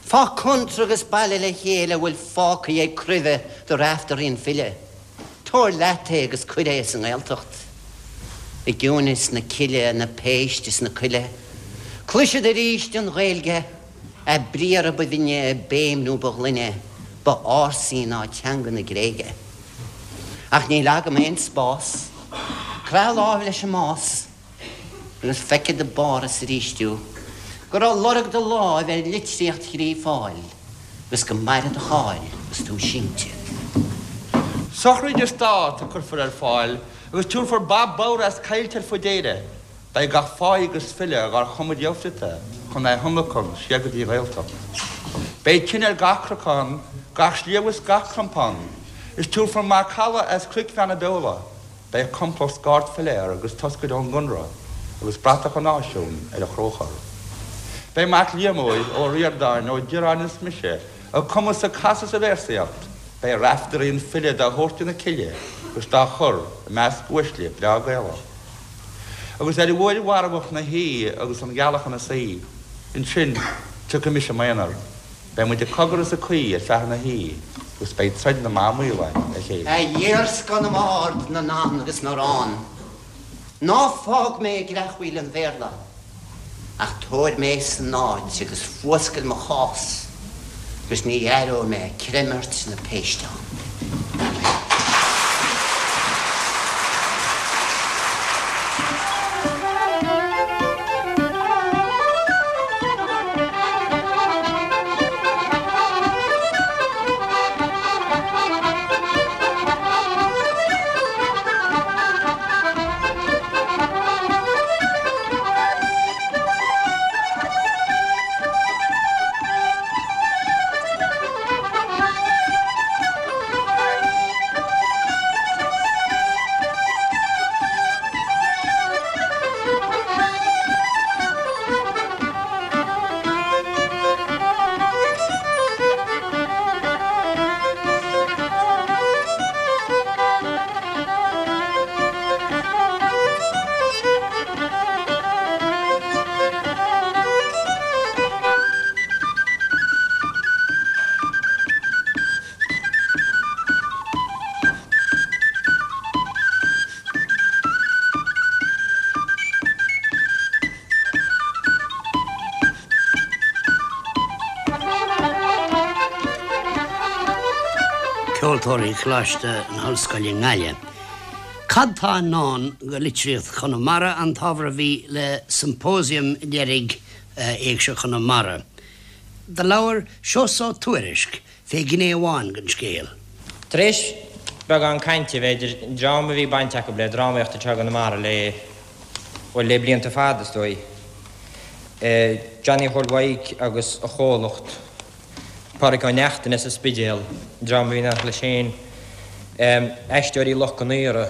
[SPEAKER 8] Fá contr agus baile le chéile a bhfuil fágtha ag Croibhe do Raiftearaí an file. Tabhair leat é agus cuir é sa nGaeltacht. I gciúineas na cille, na péiste is na coille, cloisfead arís an Ghaeilge, a briathra ba bhinne, béim nó ba ghlaine, ba ársaí ná teanga na Gréige. Ach níl agam aon spás, craith láimh leis an mbás. Agus feicfead i bPáras arís thú, go raibh lorg do láimh ar litríocht Chraobh Fáil, agus go maire do cháil agus tú sínte.
[SPEAKER 7] Sochraid is dáta a cuirfear ar fáil, agus tiúrfar ba bodhar as coillte ar fud Éire. Beidh gach fáidh agus file dhár chum riamh friota chun é thionlacan siar go dtí an Ghaeltacht. Beidh tine ar gach cnocán, gach sliabh is gach crompán, is tiúrfar macalla as Cnoic Bheanna Beola. Beidh complacht scáirt philéar agus toscaire ón gConradh agus bratach an náisiúin ar a chróchar. Beidh Mac Liammóir, Ó Ríordáin, Ó Direáin is mise ag cumadh 's ag casadh sa véarsaíocht, beidh Raiftearaí an file dá thabhairt ina cille agus dá chur i measc uaisle breá Gaelach. Agus ar uair mharfach na hoíche agus an ghealach ina suí, ansin tiocfaidh mise i m'aonar. Beidh muid ag cogar is ag caoi ar feadh na hoíche agus beidh troid na mban maol againn le chéile.
[SPEAKER 8] A iarscáth na mbard, na ndán agus na rann, ná fág mé i gcreachmhaoil an Bhéarla, ach tabhair mé san áit agus fuascail mo chás, agus ní aireoidh mé creimirt na péiste ann.
[SPEAKER 3] Ceoltóirí Choláiste na hOllscoile i nGaillimh. Cad tá i ndán go litríocht Chonamara an t-ábhar a bhí le symposium deiridh Éigse Chonamara. Do labhair Seosamh Ó Tuairisg fé ghné amháin den scéal.
[SPEAKER 2] Tar éis beagán cainte, b'fhéidir, dream a bhí baint acu le drámaíocht anseo i gConamara le, bhuel, le blianta fada, is dóigh. Johnny Chóil Mhaidhc agus a chomhlacht, Pádraic Ó Neachtain as an Spidéal, dream a bhí in éineacht leis féin, Aisteoirí Loch gCon Aora,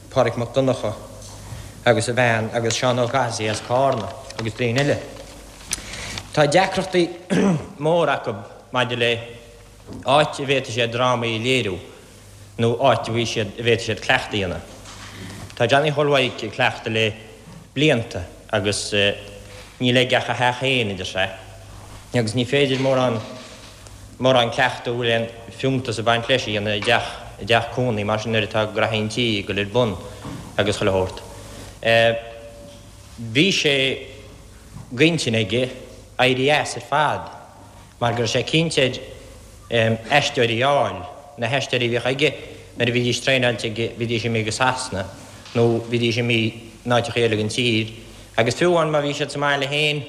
[SPEAKER 2] Pádraic Mac Donncha agus a bhean agus Seán Ó Cathasaigh as Cárna agus daoine eile. Tá deacrachtaí móra acu maidir le áit a bhféadfaidh siad drámaí a léiriú nó áit a bhféadfaidh siad, a bhféadfaidh siad cleachtadh a dhéanamh. Tá Johnny Chóil Mhaidhc ag cleachtadh le blianta agus níl aige ach a theach féin, a deir sé, agus ní féidir mórán, mórán cleachtadh a bhfuil aon fiúntas ag baint leis a dhéanamh i dteach, i dteach cónaí mar sin nuair atá graithí an tí ag dul ar bun agus chuile shórt. Bhí sé d'intinn aige éirí as ar fad mar go raibh sé cinnte air aisteoirí a fháil, na haisteoirí a bhíodh aige.
[SPEAKER 9] Nuair a bhídís traenáilte aige bhídís imithe go Sasana nó bhídís imithe in áiteacha eile den tír agus fiú amháin má bhí siad sa mbaile féin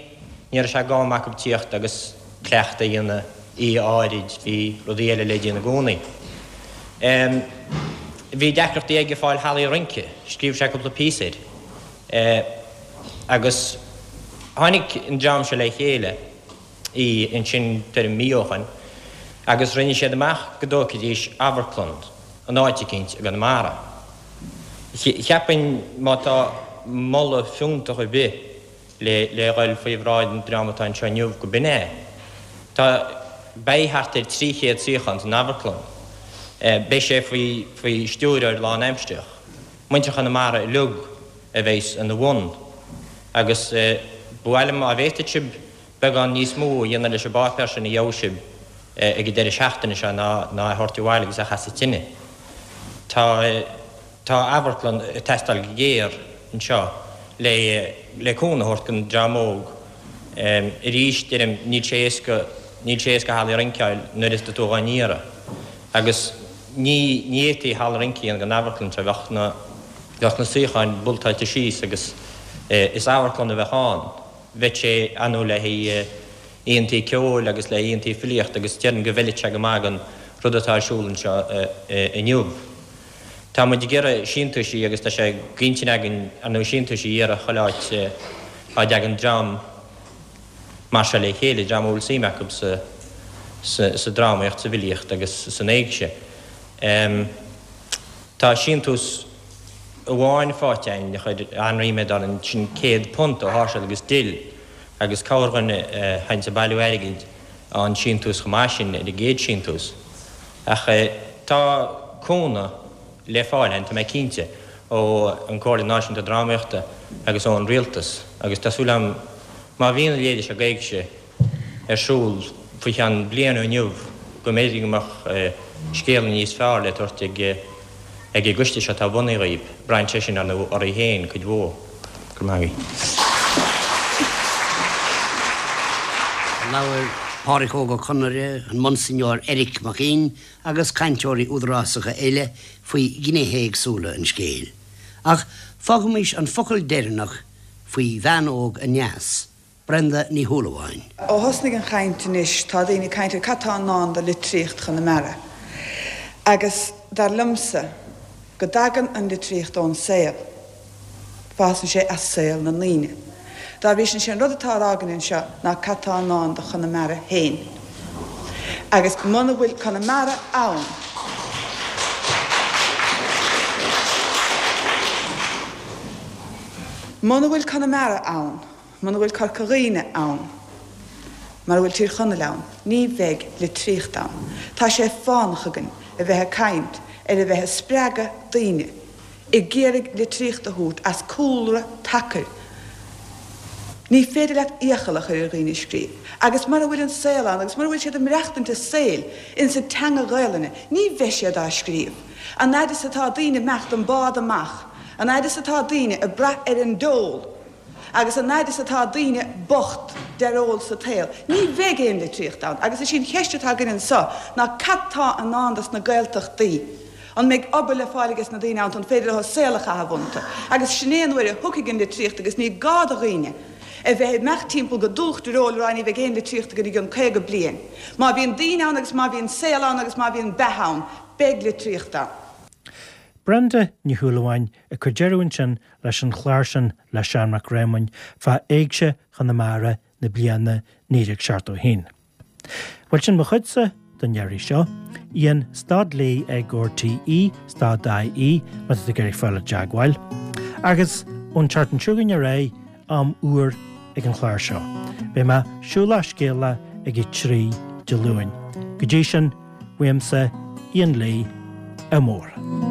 [SPEAKER 9] ní raibh sé d'am acu tíocht agus cleachtadh a dhéanamh oíche áirid, bhí rudaí eile le déanamh i gcónaí. Bhí deacrachtaí aige fáil hallaí rince, scríobh sé cúpla píosa air agus tháinig an dream seo le chéile. í ansin tuairim mí ó shoin agus rinne siad amach go dtógfaidís amharclann in áit eicínt i gConamara. Cheapfainn má tá moladh fiúntach ar bith le le dhul faoi bhráid an dream atá anseo inniu go b'in é. Tá, beidh thart ar 300 suíochán san amharclann. Beidh sé faoi faoi stiúrthóir lánaimsearach. Muintir Chonamara uilig a bheas ina bhun agus ba mhaith liom má bhféadfadh sibh beagán níos mó a dhéanamh leis an bpáipéar sin a gheobhaidh sibh ag an deireadh seachtaine seo ná ná é a thabhairt abhaile agus é a chasadh tine. Tá tá amharclann ag teastáil go géar anseo le le cúnamh a thabhairt don dream óg. Arís, deirim, níl sé éasca níl sé éasca halla rince a fháil nuair is tú dhá n-iarraidh. Agus ní ní fhéadfaí halla rince a dhéanamh den amharclann seo, bheadh na bheadh na suíocháin boltáilte síos agus is amharclann a bheadh ann. Bheadh sé ar ndóigh le haghaidh oícheantaí ceoil agus le haghaidh oícheantaí filíochta agus déarfainn go bhfeilfeadh sé go maith don rud atá ar siúl anseo inniu. Tá muid ag iarraidh síntiúisí agus tá sé d'intinn againn ar ndóigh síntiúisí a iarraidh chuile áit á dtagann dream mar seo le chéile, dream a bhfuil suim acu sa drámaíocht, sa bhfilíocht agus san éigse. Tá síntiús amháin faighte againn a chuir an-ríméad orainn, sin £100 ó Sháirséal agus Dill agus corrdhuine a théanns ag bailiú airgid an síntiús chomh maith sin ar an gcéad síntiús. Ach tá cúnamh le fáil againn, tá mé cinnte, ó an Comhairle Náisiúnta Drámaíochta agus ón Rialtas agus tá súil agam má bhíonn a leithéide seo d'éigse ar siúl faoi cheann bliain ó inniu go mb'fhéidir go mbeadh scéala níos fearr le tabhairt ag ag an gcoiste seo atá bunaithe dhaoib. Braitheann sé sin, ar ndóigh, oraibh féin cuid mhór. Go raibh maith agaibh.
[SPEAKER 3] Labhair Pádraic Óg Ó Conaire, an Monsignor Eric Mac Fhinn agus cainteoirí údarásacha eile faoi ghnéithe éagsúla an scéil. Ach fágaimis an focal deireanach faoi bhean óg aneas, Brenda Ní Shúilleabháin.
[SPEAKER 10] Ó thosnaigh an chaint anois tá daoine ag caint ar cad tá i ndán do litríocht Chonamara agus dar liomsa go dtagann an litríocht ón saol, fásann sé as saol na ndaoine. Dá bhrí sin sé an rud atá á rá againn anseo ná cad tá i ndán do Chonamara féin agus muna bhfuil Conamara ann, muna bhfuil Conamara ann. Muna bhfuil Corca Dhuibhne ann, mura bhfuil Tír Chonaill ann, ní bheidh litríocht ann. Tá sé fánach againn a bheith ag caint ar a bheith ag spreagadh daoine, ag iarraidh litríocht a thabhairt as cúlra tacair. Ní féidir leat iachall a chur ar dhaoine scríobh. Agus mura bhfuil an saol ann agus mura bhfuil siad ag maireachtaint a saoil ins an teanga Ghaelainne, ní bheidh siad á scríobh. An fhaid is atá daoine ag imeacht an bád amach, an fhaid is atá daoine ag brath ar an dole, Agus an fhaid is atá daoine bocht dearóil sa tsaol, ní bheidh aon litríocht ann. Agus is í an cheist atá againn anso ná cad tá i ndán dos na Gaeltachtaí? An mbeidh obair le fáil ages na daoine ann? An féidir leo saol a chaitheamh iontu? Agus sin é an uair a thiocfaidh an litríocht agus ní gá do dhaoine a bheith ag imeacht timpeall go dubhach dearóil ag rá ní bheidh aon litríocht againn i gcionn 50 bliain. Má bhíonn daoine ann agus má bhíonn saol ann agus má bhíonn beatha ann, beidh litríocht ann.
[SPEAKER 1] Brenda Ní Shúilleabháin ag cur deireadh ansin leis an chlár sin le Seán Mac Réamoinn fá Éigse Chonamara na bliana 1971. Bhuel sin mo chuidse don iarraidh seo. Ian stad Lee ag RTÉ stad IE má tá tú ag iarraidh fáil i dteagmháil. Agus ón tseachtain seo chugainn ar aghaidh, am úr ag an chlár seo. Beidh mé siúlach scéalach ag a 3 Dé Luain. Go dtí sin, uaimse, Ian Lee, ádh mór.